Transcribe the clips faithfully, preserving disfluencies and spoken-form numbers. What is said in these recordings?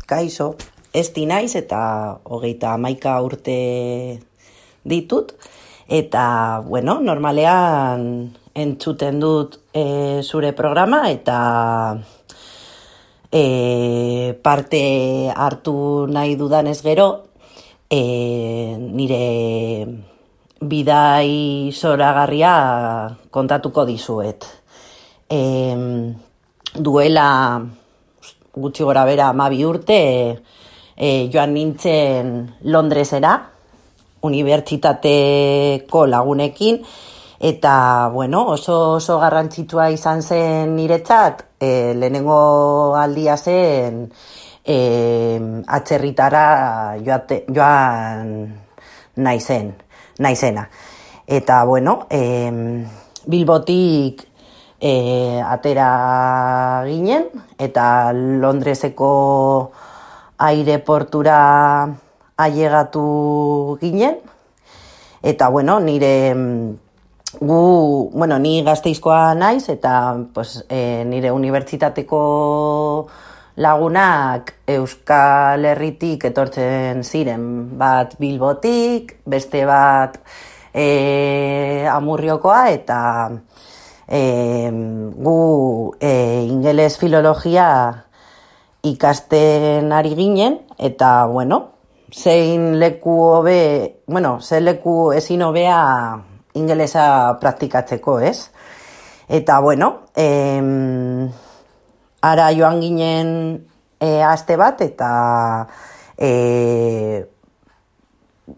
kaixo, esti naiz eta hogeita hamaika urte ditut. Eta, bueno, normalean entzuten dut e, zure programa eta e, parte hartu nahi dudanez gero, e, nire bidai zoragarria kontatuko dizuet. E, duela gutxi gora bera hamabi urte e, joan nintzen Londresera, unibertsitateko lagunekin, eta bueno, oso oso garrantzitsua izan zen niretzat, e, lehenengo aldia zen e, atzerritara joate, joan naizen, naizena. Eta bueno, e, Bilbotik e, atera ginen, eta Londreseko aireportura ailegatu ginen, eta bueno, nire gu, bueno, ni Gasteizkoa naiz, eta pues, e, nire unibertsitateko lagunak Euskal Herritik etortzen ziren, bat Bilbotik, beste bat e, Amurriokoa, eta e, gu e, ingeles filologia ikasten ari ginen, eta bueno, zein leku hobe, bueno, zein leku ezin hobea ingelesa praktikatzeko, ez? Eta bueno, em, ara joan ginen e, aste bat, eta e,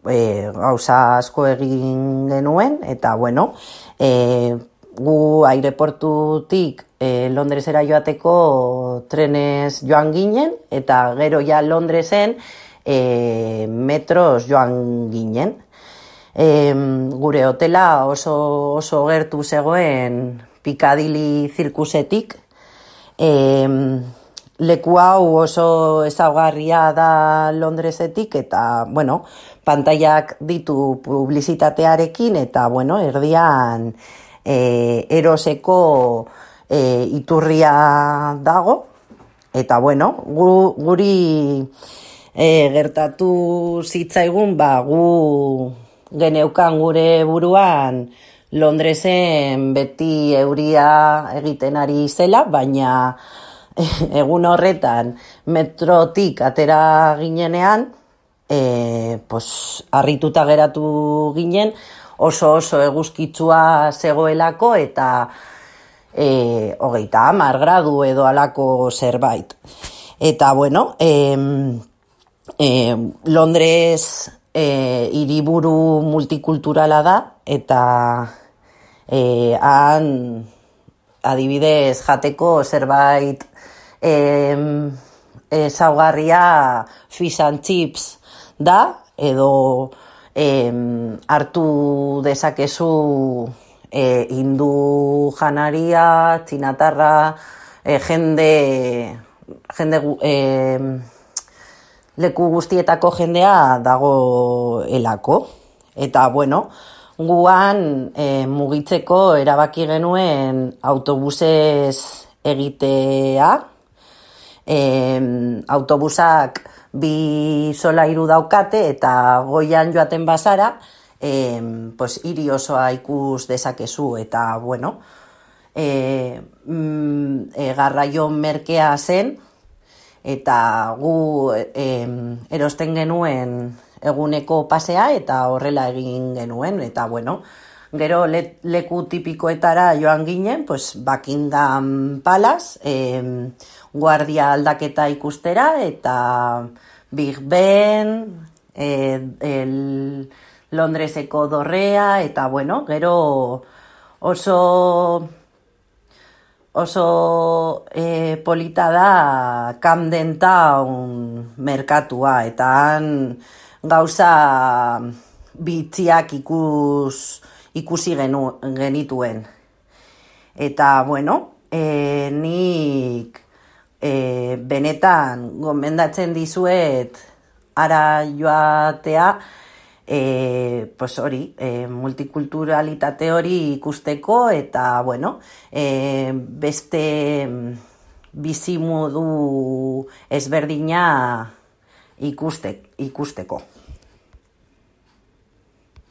e, gauza asko egin genuen, eta bueno, e, gu aireportutik e, Londresera joateko trenez joan ginen, eta gero ja Londresen E, metros joan ginen. E, gure hotela oso, oso gertu zegoen Piccadilly zirkusetik. E, leku hau oso ezaugarria da Londresetik, eta bueno, pantailak ditu publizitatearekin, eta bueno, erdian e, eroseko e, iturria dago, eta bueno, gu, guri E, gertatu zitzaigun, ba, gu geneukan gure buruan Londresen beti euria egiten ari zela, baina egun horretan metrotik atera ginenean, e, pos, harrituta geratu ginen, oso oso eguzkitsua zegoelako, eta e, hogeita hamar gradu edo alako zerbait. Eta bueno, e, E, Londres e, hiriburu multikulturala da, eta e, han adibidez jateko zerbait e, ezaugarria fish and chips da, edo e, hartu dezakezu e, hindu janaria, txinatarra, e, jende jende e, leku guztietako jendea dago elako. Eta, bueno, guan e, mugitzeko erabaki genuen autobusez egitea. E, autobusak bi solairu daukate, eta goian joaten bazara, e, pues, hiri osoa ikus dezakezu. Eta, bueno, e, mm, e, garraio merkea zen, eta gu eh, erosten genuen eguneko pasea, eta horrela egin genuen, eta bueno, gero le, leku tipikoetara joan ginen, pues Buckingham Palace, eh, guardia aldaketa ikustera, eta Big Ben, eh, el Londreseko dorrea, eta bueno, gero oso oso e, polita da Camden Town merkatua, eta han gauza bitziak ikus, ikusi genu, genituen. Eta, bueno, e, nik e, benetan gomendatzen dizuet ara joatea, E, pues hori, e, multikulturalitate hori ikusteko, eta bueno, e, beste bizimodu ezberdina ikuste, ikusteko.